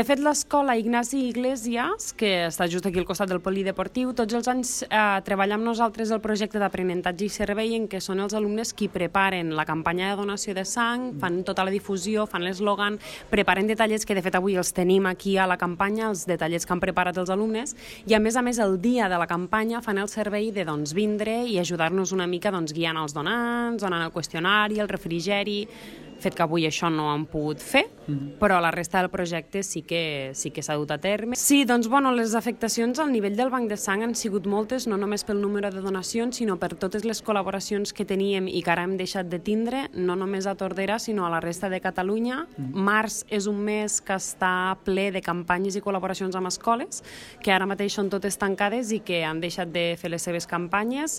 De fet, l'escola Ignasi Iglesias, que està just aquí al costat del polideportiu, tots els anys treballa amb nosaltres el projecte d'aprenentatge i servei, en què són els alumnes qui preparen la campanya de donació de sang, fan tota la difusió, fan l'eslògan, preparen detallets que de fet avui els tenim aquí a la campanya, els detallets que han preparat els alumnes, i a més, el dia de la campanya fan el servei de vindre i ajudar-nos una mica guiant els donants, donant el qüestionari, el refrigeri, fet que avui això no han pogut fer, però la resta del projecte sí que s'ha dut a terme. Sí, doncs, les afectacions al nivell del banc de sang han sigut moltes, no només pel número de donacions, sinó per totes les col·laboracions que teníem i que ara hem deixat de tindre, no només a Tordera, sinó a la resta de Catalunya. Març és un mes que està ple de campanyes i col·laboracions amb escoles, que ara mateix són totes tancades i que han deixat de fer les seves campanyes.